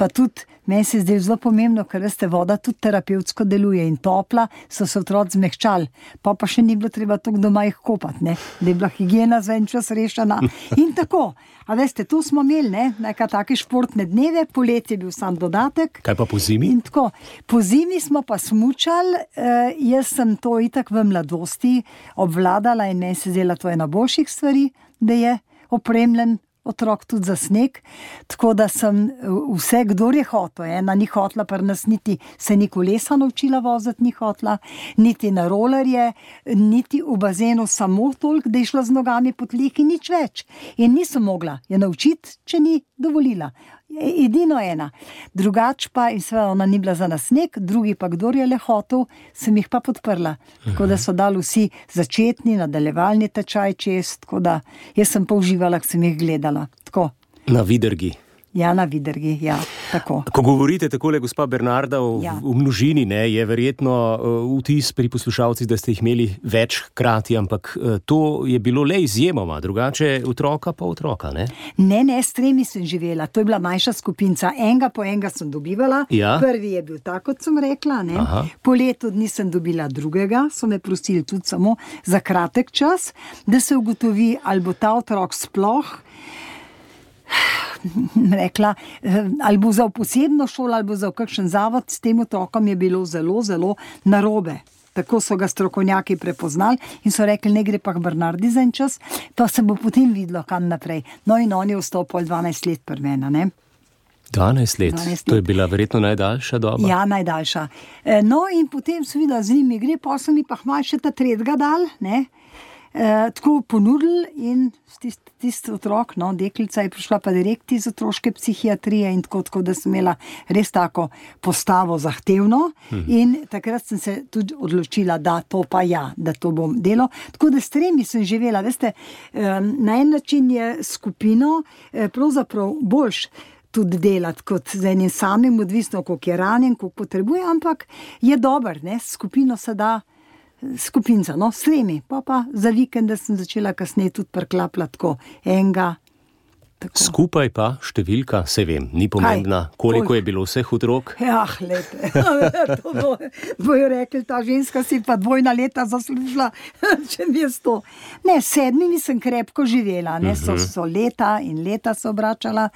Pa tudi, meni se zdaj zelo pomembno, ker veste, voda tudi terapevtsko deluje in topla, so se otroci zmehčali. Pa še ni bilo treba toliko doma jih kopati, ne? Da je bila higiena za en čas rešena. In tako, a veste, tu smo imeli, ne? Nekaj take športne dneve, poletje je bil sam dodatek. Kaj pa po zimi? In tako, po zimi smo pa smučali, jaz sem to itak v mladosti obvladala in meni se zdela to ena boljših stvari, da je opremljen otrok tudi za sneg, tako da sem vse, kdor je hotel, ena ni hotla, pa nas niti se ni kolesa naučila voziti, ni hotla, niti na rolerje, niti v bazenu samo toliko, da je šla z nogami po tleh in nič več. In nisem mogla je naučiti, če ni dovolila. Edino ena. Drugač pa, in seveda ona ni bila za nas sneg, drugi pa, kdor je le hotel, sem jih pa podprla. Tako da so dali vsi začetni, nadaljevalni tečaj čez, tako da jaz sem pa uživala, ko sem jih gledala. Tako. Na Vidrgi. Ja, na Vidrgi, ja, tako. Ko govorite takole, gospa Bernarda, v množini, ne, je verjetno vtis pri poslušalcih, da ste jih imeli več hkrati, ampak to je bilo le izjemoma, drugače otroka pa otroka, ne? Ne, s 3 sem živela, to je bila manjša skupinca, enega po enega sem dobivala, Prvi je bil tako, kot sem rekla, ne? Po letu dni sem dobila drugega, so me prosili tudi samo za kratek čas, da se ugotovi, ali bo ta otrok sploh rekla, ali bo za posebno šolo, ali bo za kakšen zavod, s tem otrokom je bilo zelo, zelo narobe. Tako so ga strokovnjaki prepoznali in so rekli, ne gre pa k Bernardi za en čas, pa se bo potem videlo, kam naprej. No in on je ostal 12 let pri meni, ne? 12 let, to je bila verjetno najdaljša doba. Ja, najdaljša. No in potem so videla, z njimi gre, pa so mi pa hmal še ta tretjega dal, ne? Tako ponudili in tisti otrok, no, deklica je prišla pa direkt iz otroške psihiatrije in tako, da sem imela res tako postavo zahtevno in takrat sem se tudi odločila, da to pa ja, da to bom delo. Tako da s 3 sem živela, veste, na en način je skupino pravzaprav boljš tudi delati kot z enim samim, odvisno, koliko je ranjen, koliko potrebuje, ampak je dober, ne, skupino se da skupinca, no, s 3, pa za vikende sem začela kasneje tudi preklapljati tako enega. Tako. Skupaj pa številka, se vem, ni pomembna, koliko je bilo vseh otrok? Ja, lete, to bojo rekli, ta ženska si pa 2 leta zaslužila, če mi je 100. Ne, 7 sem krepko živela, ne, so leta in leta se obračala,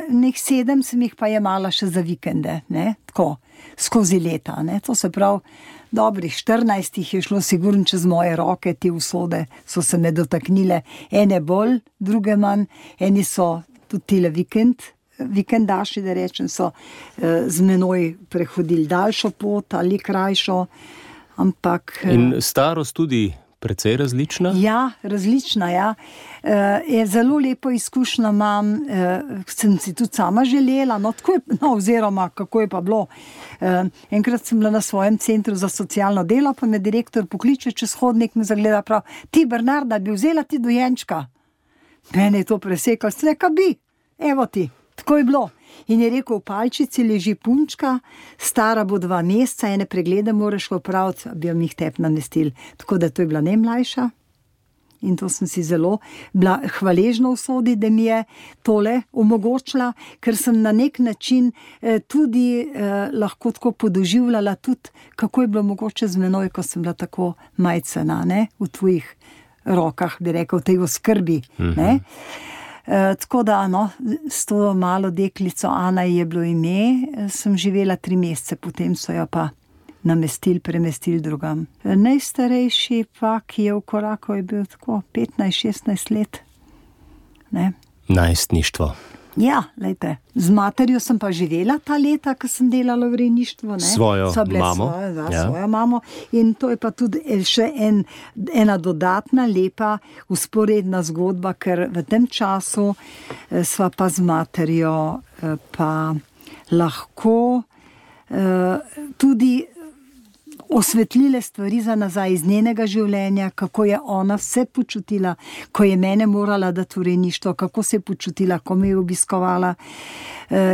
nek 7 sem jih pa jemala še za vikende, ne, tako, skozi leta, ne, to se pravi, dobrih 14 je šlo sigurno čez moje roke, te usode so se me dotaknile, ene bolj, druge manj, eni so tudi tile vikendaši, da rečem, so z menoj prehodili daljšo pot ali krajšo, ampak... In starost tudi precej različna? Ja, različna, ja. Je zelo lepo izkušnjo imam, sem si tudi sama želela, oziroma kako je pa bilo. Enkrat sem bila na svojem centru za socialno delo, pa me direktor pokliče čez hodnik, me zagleda prav, ti Bernarda, bi vzela ti dojenčka? Mene je to presekalo, streka bi, evo ti, tako je bilo. In je rekel, v palčici leži punčka, stara bo 2 meseca, ene preglede moraš opraviti, bi jo mi jih tep namestili. Tako da to je bila najmlajša. In to sem si zelo bila hvaležna usodi, da mi je tole omogočila, ker sem na nek način tudi lahko tako podoživljala tudi, kako je bilo mogoče z menoj, ko sem bila tako majcena, ne, v tvojih rokah, bi rekel, v tej oskrbi, ne. Tako da, no, s to malo deklico, Ana je bilo ime, sem živela 3 mesece, potem so jo pa premestili drugam. Najstarejši pa, ki je v koraku, je bil tako 15-16 let. Ne? Najstništvo. Ja, lejte, z materjo sem pa živela ta leta, ko sem delala v rejništvu. Ne? Svojo mamo. Svojo mamo. In to je pa tudi še ena dodatna, lepa, usporedna zgodba, ker v tem času sva pa z materjo pa lahko tudi osvetlile stvari za nazaj iz njenega življenja, kako je ona se počutila, ko je mene morala dati v rejništvo, kako se je počutila, ko me je obiskovala.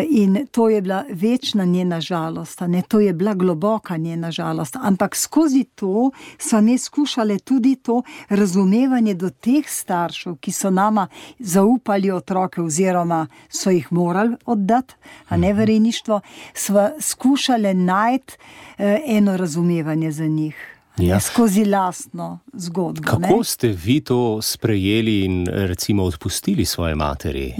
In to je bila večna njena žalost, ne? To je bila globoka njena žalost, ampak skozi to so mi skušale tudi to razumevanje do teh staršev, ki so nama zaupali otroke oziroma so jih morali oddati, a ne v rejništvo, sva skušale najti eno razumevanje za njih. Ja. Skozi lastno zgodbo. Kako ste vi to sprejeli in recimo odpustili svoje materi?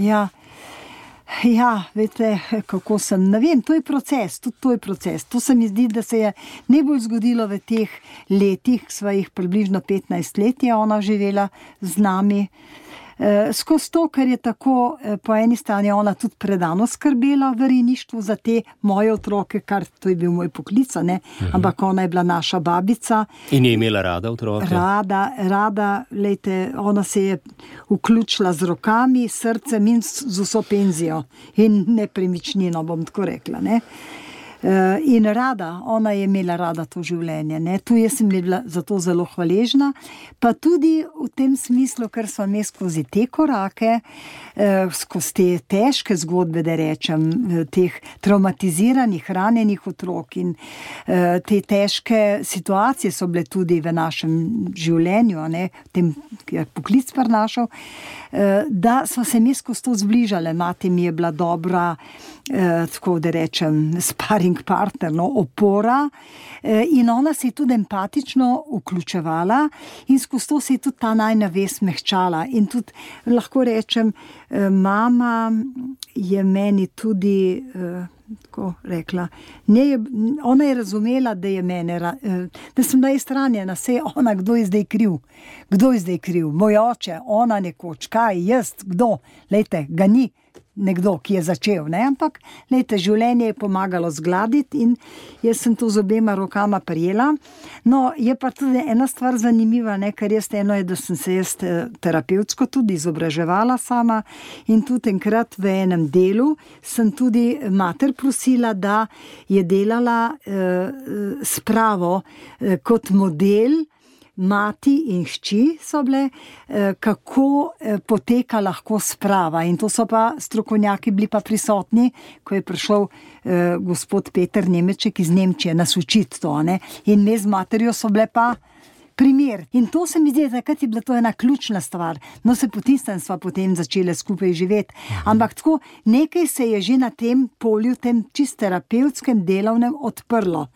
Ja, veste, kako sem, ne vem, to je proces, tudi to je proces. To se mi zdi, da se je najbolj zgodilo v teh letih, svojih približno 15 let je ona živela z nami. Skozi to, ker je tako, po eni strani ona tudi predano skrbela v rejništvu za te moje otroke, kar to je bil moj poklic, ne? Ampak ona je bila naša babica. In je imela rada otroke? Rada, lejte, ona se je vključila z rokami, srcem in z vso penzijo in nepremičnino, bom tako rekla, ne. In ona je imela rada to življenje, ne. Tu jaz sem bila zato zelo hvaležna, pa tudi v tem smislu, ker smo mi skozi te korake, skozi te težke zgodbe, da rečem, teh traumatiziranih, ranjenih otrok in te težke situacije so bile tudi v našem življenju, ne, tem je poklic prinašal, da smo se mi skozi to zbližale. Mati mi je bila dobra, tako da rečem, sparring partner, opora, in ona se je tudi empatično vključevala in skozi to se je tudi ta najina vest mehčala. In tudi lahko rečem, mama je meni tudi tako rekla, ona je razumela, da je mene, da sem da izranjena, saj ona, kdo je zdaj kriv, moj oče, ona nekoč, kaj, jaz, kdo, lejte, ga ni nekdo, ki je začel, ne, ampak lejte, življenje je pomagalo zgladiti in jaz sem to z obema rokama prijela. No, je pa tudi ena stvar zanimiva, ne, ker eno je, da sem se jaz terapevtsko tudi izobraževala sama in tudi enkrat v enem delu sem tudi mater prosila, da je delala spravo kot model. Mati in hči so bile, kako poteka lahko sprava. In to so pa strokovnjaki bili pa prisotni, ko je prišel gospod Peter Nemeček iz Nemčije nas učiti to, ne. In me z materjo so bile pa primer. In to se mi zdi, takrat je bila to ena ključna stvar. No, se potisnem sva potem začele skupaj živeti. Ampak tako, nekaj se je že na tem polju, tem čist terapevtskem delovnem odprlo.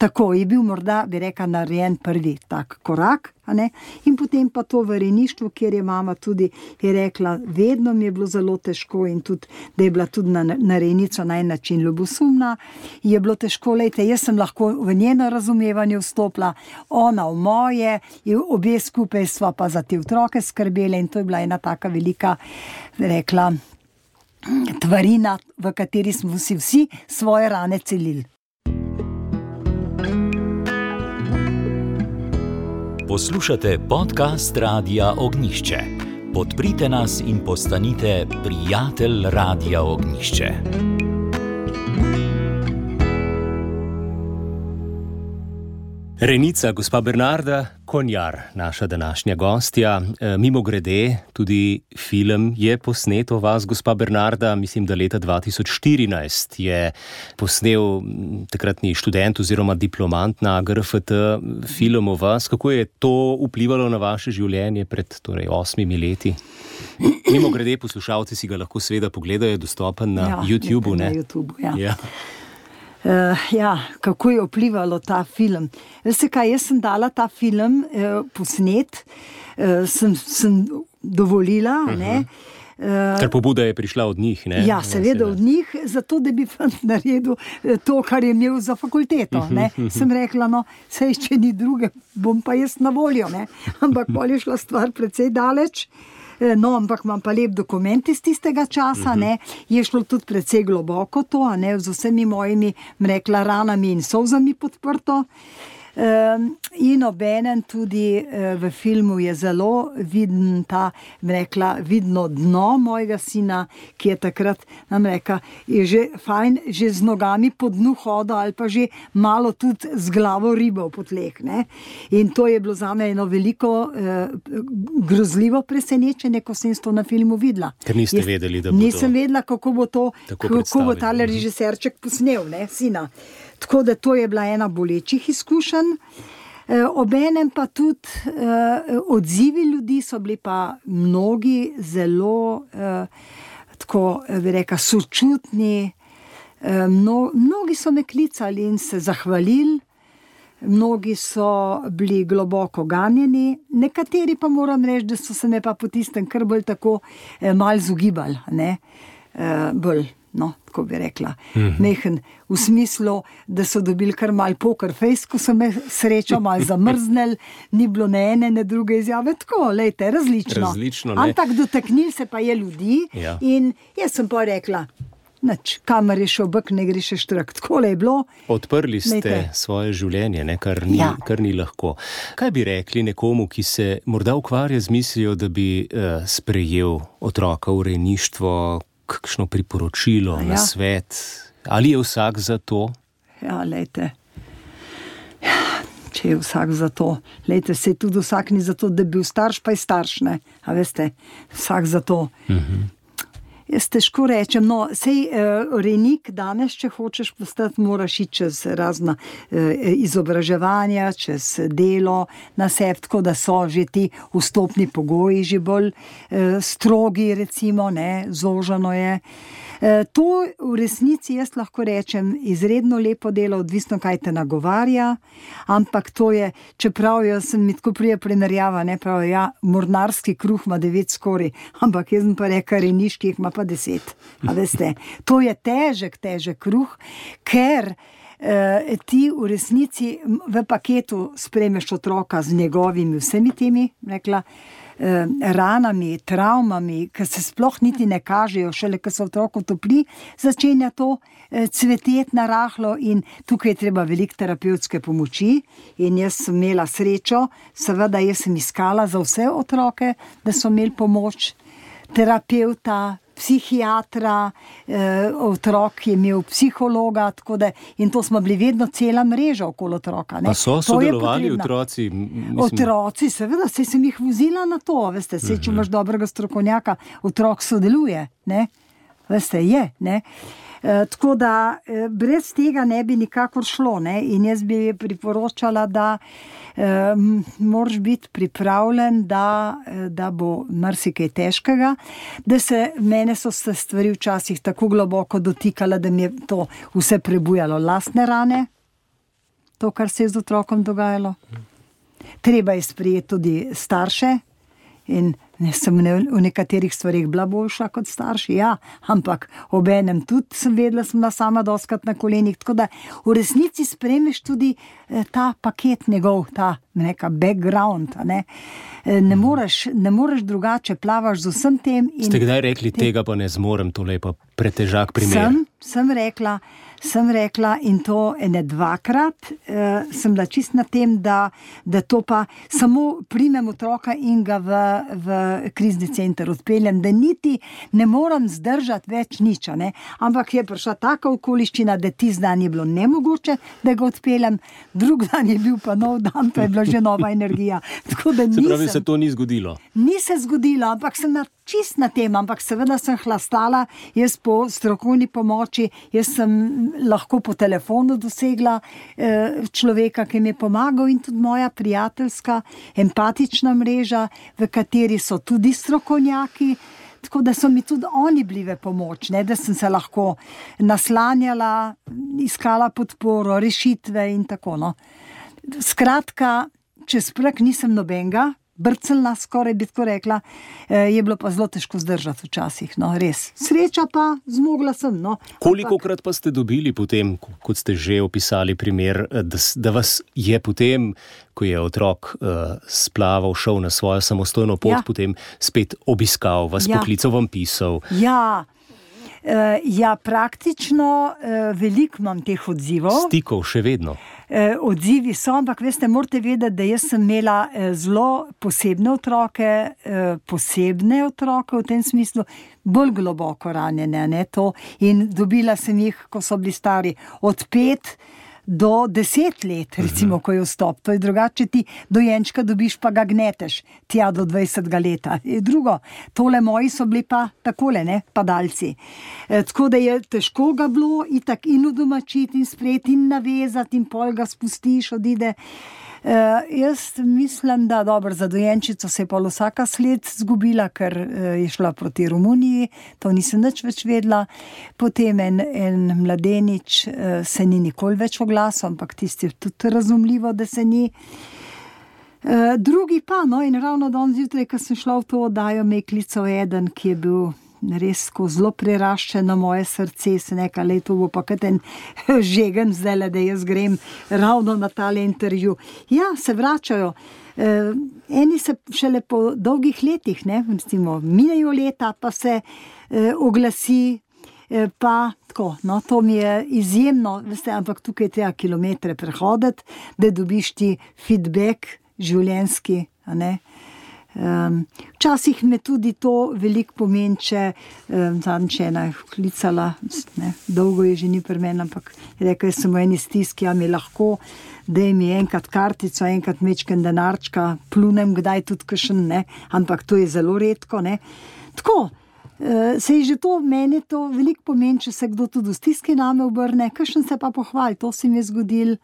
Tako je bil morda, bi rekla, narejen prvi tak korak, a ne? In potem pa to v rejništvu, kjer je mama tudi je rekla, vedno mi je bilo zelo težko in tudi, da je bila tudi na rejnico na en način ljubosumna, je bilo težko, lejte, jaz sem lahko v njeno razumevanje vstopila, ona v moje, obe skupaj sva pa za te otroke skrbele in to je bila ena taka velika, rekla, tvarina, v kateri smo si vsi svoje rane celili. Poslušate podcast Radia Ognjišče. Podprite nas in postanite prijatelj Radia Ognjišče. Rejnica, gospa Bernarda Konjar, naša današnja gostja. Mimogrede, tudi film je posnet o vas, gospa Bernarda, mislim, da leta 2014 je posnel takratni študent oziroma diplomant na GRFT film o vas. Kako je to vplivalo na vaše življenje pred 8 leti? Mimogrede, poslušalci si ga lahko seveda pogledajo, dostopen na YouTubeu, ne? Na YouTubeu, ja. Kako je vplivalo ta film. Veste kaj, jaz sem dala ta film posnet, sem dovolila, ne. Ker pobuda je prišla od njih, ne? Ja, seveda od njih, zato da bi naredil to, kar je imel za fakulteto, ne. Sem rekla, no, saj če ni druge, bom pa jaz na voljo, ne. Ampak bolj je šla stvar precej daleč. No, ampak imam pa lep dokument iz tistega časa, ne, je šlo tudi precej globoko to, ne, z vsemi mojimi, rekla, ranami in solzami podprto. In obenem tudi v filmu je zelo viden vidno dno mojega sina, ki je takrat, nam reka, je že fajn, že z nogami po dnu hodil ali pa že malo tudi z glavo ribal po tleh, ne. In to je bilo zame eno veliko grozljivo presenečenje, ko sem to na filmu videla. Ker niste vedeli, da bo Nisem vedela, kako bo tale režiserček posnel, ne, sina. Tako da to je bila ena bolečih izkušenj. Obenem pa tudi odzivi ljudi so bili pa mnogi zelo, tako bi rekla, sočutni. Mnogi so me klicali in se zahvalili, mnogi so bili globoko ganjeni, nekateri pa moram reči, da so se me pa po tistem kar bolj tako malo zugibali, ne, bolj. No, tako bi rekla, mehen, v smislu, da so dobili kar mal poker face, ko so me srečo mal zamrznili, ni bilo ne ene, ne druge izjave, tako, lejte, različno. Ampak dotaknili se pa je ljudi, ja. In jaz sem pa rekla, nič, kamer je šel bek, ne gre še štrak, tako je bilo. Odprli ste svoje življenje, ne, kar ni lahko. Kaj bi rekli nekomu, ki se morda ukvarja z mislijo, da bi sprejel otroka v rejništvo, kakšno priporočilo, na svet? Ali je vsak za to? Ja, lejte. Ja, če je vsak za to. Lejte, se tudi vsak ni za to, da bi bil starš, pa je starš, ne? A veste, vsak za to. Jaz težko rečem, no, sej rejnik danes, če hočeš postati, moraš iti čez razna izobraževanja, čez delo na sebi, tako da so že ti vstopni pogoji že bolj strogi, recimo, ne, zožano je. To v resnici jaz lahko rečem izredno lepo delo, odvisno kaj te nagovarja, ampak to je, čeprav jaz sem mi tako prije primerjava, ne, pravi, ja, mornarski kruh ima 9 skorij, ampak jaz sem pa rekel, rejniški ima pa 10, a veste, to je težek kruh, ker ti v resnici v paketu sprejmeš otroka z njegovimi vsemi temi, rekla, ranami, travmami, ki se sploh niti ne kažejo, šele ko se otroku topli, začenja to cveteti narahlo in tukaj je treba veliko terapevtske pomoči in jaz sem imela srečo, seveda jaz sem iskala za vse otroke, da so imeli pomoč terapevta, psihiatra, otrok je imel psihologa, tako da, in to smo bili vedno cela mreža okoli otroka. Ne. Pa so sodelovali otroci? Otroci, seveda, saj sem jih vozila na to, veste, saj če imaš dobrega strokovnjaka, otrok sodeluje, ne, veste, je, ne. Tako da brez tega ne bi nikakor šlo, ne, in jaz bi priporočala, da moraš biti pripravljen, da bo marsikaj težkega, da mene so se stvari včasih tako globoko dotikala, da mi je to vse prebujalo lastne rane, to, kar se je z otrokom dogajalo. Treba je sprejeti tudi starše in sem v nekaterih stvarih bila boljša kot starši, ja, ampak obenem tudi sem vedela, sem sama doskrat na kolenih, tako da v resnici sprejmeš tudi ta paket njegov, ta neka background, ne. Ne moreš drugače, plavaš z vsem tem. Ste kdaj rekli, tega pa ne zmorem, tole je pa pretežak primer? Sem rekla in to ene 2-krat, sem bila čist na tem, da to pa samo primem otroka in ga v krizni center odpeljem, da niti ne moram zdržati več nič, ne? Ampak je prišla taka okoliščina, da tisti dan je bilo nemogoče, da ga odpeljem, drug dan je bil pa nov dan, pa je bila že nova energija. Tako da se pravi, se to ni zgodilo? Ni se zgodilo, ampak sem čist na tem, ampak seveda sem hlastala, jaz po strokovni pomoči, jaz sem lahko po telefonu dosegla človeka, ki mi je pomagal in tudi moja prijateljska, empatična mreža, v kateri so tudi strokovnjaki, tako da so mi tudi oni bili v pomoč, ne, da sem se lahko naslanjala, iskala podporo, rešitve in tako, no. Skratka, čez prek nisem nobenga, brclna, skoraj bi tako rekla, je bilo pa zelo težko zdržati včasih, no, res. Sreča pa, zmogla sem, no. Kolikokrat pa ste dobili potem, kot ste že opisali primer, da vas je potem, ko je otrok splaval, šel na svojo samostojno pot, potem spet obiskal, vas poklical, vam pisal? Ja, Ja, praktično veliko imam teh odzivov. Stikov še vedno. Odzivi so, ampak veste, morate vedeti, da jaz sem imela zelo posebne otroke v tem smislu, bolj globoko ranjene, ne, to. In dobila sem jih, ko so bili stari od 5 do 10 let, recimo, ko je vstop. To je drugače, ti dojenčka dobiš, pa ga gneteš tja do 20 leta. Drugo, tole moji so bili pa takole, ne, padalci. Tako da je težko ga bilo itak in udomačiti in sprejeti in navezati in pol ga spustiš, odide. Jaz mislim, da dobro, za dojenčico se je pa vsaka sled zgubila, ker je šla proti Romuniji, to nisem nič več vedela. Potem en mladenič se ni nikoli več oglasil, ampak tisti je tudi razumljivo, da se ni. Drugi pa, no, in ravno danes zjutraj, ko sem šla v to oddajo, me je klical eden, ki je bil res zelo preraščen na moje srce, se nekaj leto bo pa kaj ten žegen zdajle, da jaz grem ravno na tale intervju. Ja, se vračajo. Eni se šele po dolgih letih, ne, recimo, minejo leta, pa se oglasi, pa tako, no, to mi je izjemno, veste, ampak tukaj treba kilometre prehoditi, da dobiš ti feedback življenjski, a ne. Včasih me tudi to veliko pomeni, če zadnjič ena je vklicala, ne, dolgo je že ni pri meni, ampak je rekel, jaz sem v eni stiski, a mi lahko, daj mi enkrat kartico, enkrat mečken denarčka, plunem kdaj tudi kakšen, ne, ampak to je zelo redko, ne. Tako, se je že to, meni to veliko pomeni, če se kdo tudi v stiski name obrne, kakšen se pa pohvali, to se mi je zgodil,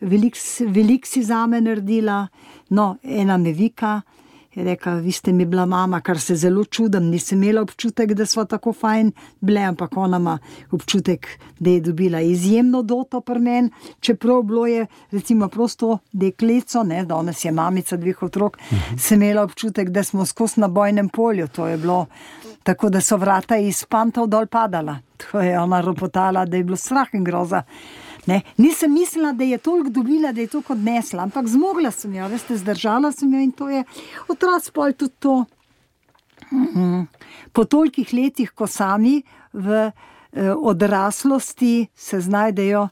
veliko si zame naredila, no, ena me vika, je rekla, vi ste mi bila mama, kar se zelo čudim, nisem imela občutek, da sva tako fajn bile, ampak ona ima občutek, da je dobila izjemno doto pri meni, čeprav bilo je, recimo, prosto dekleco, ne, danes je mamica 2 otrok, sem imela občutek, da smo skozi na bojnem polju, to je bilo tako, da so vrata iz pantov dol padala, to je ona ropotala, da je bilo strah in groza. Ne, nisem mislila, da je toliko dobila, da je toliko odnesla, ampak zmogla sem jo, veste, zdržala sem jo in to je otroci pol tudi to. Po tolikih letih, ko sami v odraslosti se znajdejo,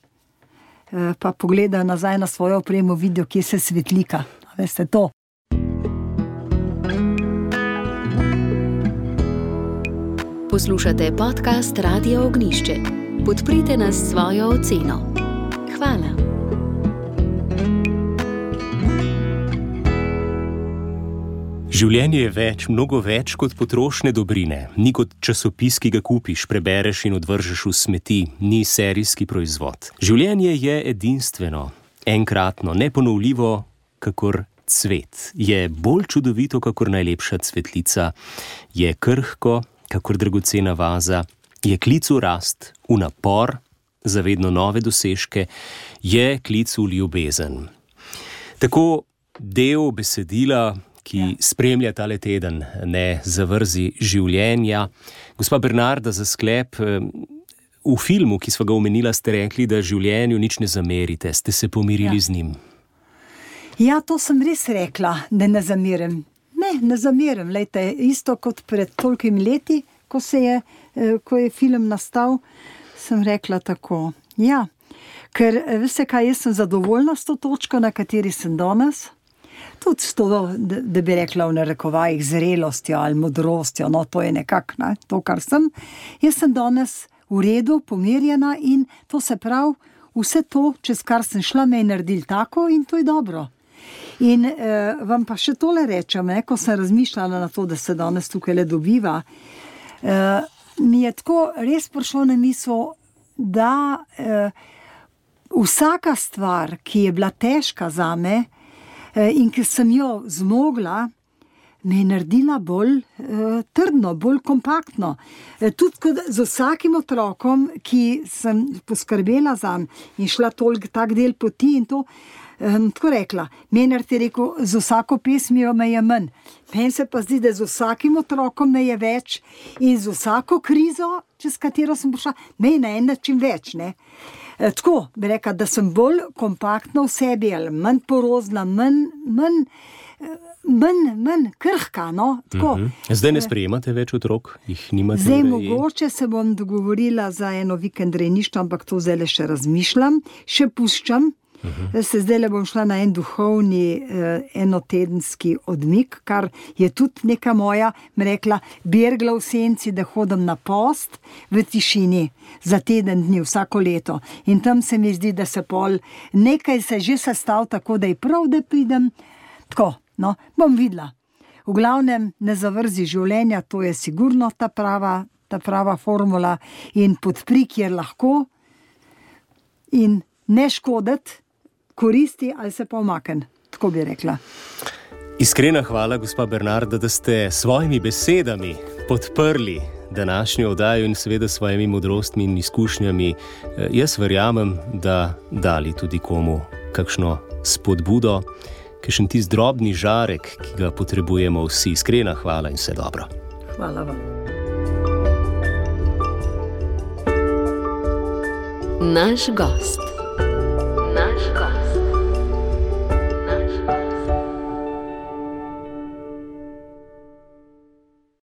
pa pogledajo nazaj na svojo opremo, vidijo, kje se svetlika, veste, to. Poslušate podcast Radia Ognišče. Podprite nas s svojo oceno. Hvala. Življenje je več, mnogo več kot potrošne dobrine. Ni kot časopis, ki ga kupiš, prebereš in odvržeš v smeti. Ni serijski proizvod. Življenje je edinstveno, enkratno, neponovljivo, kakor cvet. Je bolj čudovito, kakor najlepša cvetlica. Je krhko, kakor dragocena vaza. Je klic v rast, v napor, za vedno nove dosežke, je klic v ljubezen. Tako del besedila, ki spremlja tale teden, ne zavrzi življenja. Gospa Bernarda, za sklep, v filmu, ki sva ga omenila, ste rekli, da življenju nič ne zamerite, ste se pomirili z njim. Ja, to sem res rekla, da ne zamerim. Ne zamerim, lejte, isto kot pred tolikimi leti, ko je film nastal, sem rekla tako. Ja, ker veste kaj, jaz sem zadovoljna s to točko, na kateri sem danes. Tudi s to, da bi rekla v narekovajih, zrelostjo ali modrostjo, no to je nekako, ne, to, kar sem. Jaz sem danes v redu, pomirjena in to se pravi, vse to, čez kar sem šla, me je naredil tako in to je dobro. In vam pa še tole rečem, ne, ko sem razmišljala na to, da se danes tukaj le dobiva, mi je tako res prišlo na misel, da vsaka stvar, ki je bila težka zame in ki sem jo zmogla, me je naredila bolj trdno, bolj kompaktno. Tudi kot z vsakim otrokom, ki sem poskrbela zanj in šla toliko tak del poti in to, tako rekla, Menard je rekel, z vsako pesmijo me je manj. Meni se pa zdi, da z vsakim otrokom me je več in z vsako krizo, čez katero sem prišla, me je na en način več, ne. Tako, bi rekla, da sem bolj kompaktna v sebi, ali manj porozna, manj manj krhka. No? Zdaj ne sprejemate več otrok? Jih nimate? Zdaj mogoče se bom dogovorila za eno vikend rejništvo, ampak to zdaj še razmišljam, še puščam. Se zdaj le bom šla na en duhovni enotedenski odmik, kar je tudi neka moja, rekla, bergla v senci, da hodim na post v tišini za teden dni vsako leto. In tam se mi zdi, da se pol nekaj se že sestav tako, da je prav, da pridem. Tako, no, bom videla. V glavnem ne zavrzi življenja, to je sigurno ta prava formula in podpri, kjer lahko in ne škoditi, koristi ali se pa umakne, tako bi rekla. Iskrena hvala, gospa Bernarda, da ste svojimi besedami podprli današnjo oddajo in seveda svojimi modrostmi in izkušnjami. Jaz verjamem, da dali tudi komu kakšno spodbudo, kakšen tisti drobni žarek, ki ga potrebujemo vsi. Iskrena hvala in vse dobro. Hvala vam. Naš gost.